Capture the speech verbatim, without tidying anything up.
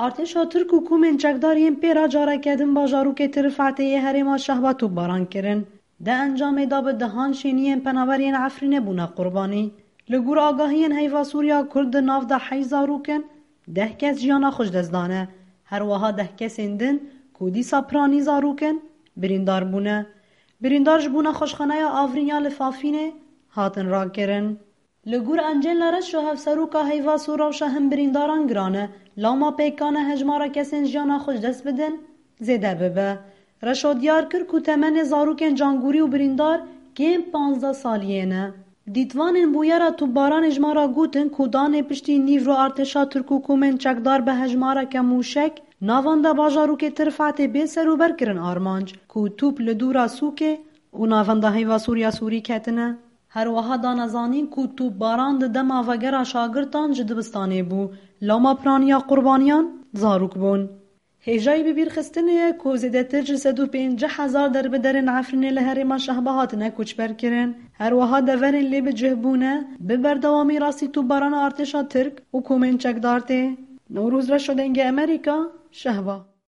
Artêşa Tirk û komên çekdar yên pê re careke din bajarokê Tirfatê yê herêma Şehba topbaran kirin. Di encamê de bi dehan şêniyên penaber yên Efrînê bûne qurbanî. Li gor agahiyên Heyva Sûriya Kurd di nav de heyş zarok in, deh kes jiyana xwe ji dest dane. Her wiha deh kesên din ku dîsa piranî zarok in, birîndar bûne. Birîndar ji bo nexweşxaneya Avrîn ya li Fafînê hatin rakirin. Li gor Encêla Reşo, hevseroka Heyva Sû, rewşa hin birîndaran giran e. Lewma pêkan e hejmara kesên jiyana xwe ji dest bidin zêde bibe. Reşo diyar kir ku temenê zarokên cangûrî û birîndar kêm panzdeh saliyê ne. Dîtvanên bûyera topbaranê ji me re gotin ku danê piştî nîvro artêşa Tirk û komên çekdar bi hejmareke mûşek navenda bajarokê Tirfatê bê serûber kirin armanc, ku top li dûra sûkê û navenda Heyva Sûriya Sûrî ketine. Her wiha dane zanîn ku topbaran di dema vegera şagirtan ji dibistanê bû, lewma piraniya qurbaniyan zarok bûn. Hêjayî bibîrxistinê ye ku zêdetir ji sed û pêncî hezar derbiderên Efrînê li herêma Şehba hatine koçber kirin. Her wiha deverên lê bi cih bûne, bi berdewamî rastî topbarana artêşa Tirk û komên çekdar tê. Newroz Reşo, Dengê Amerîka, Şehba.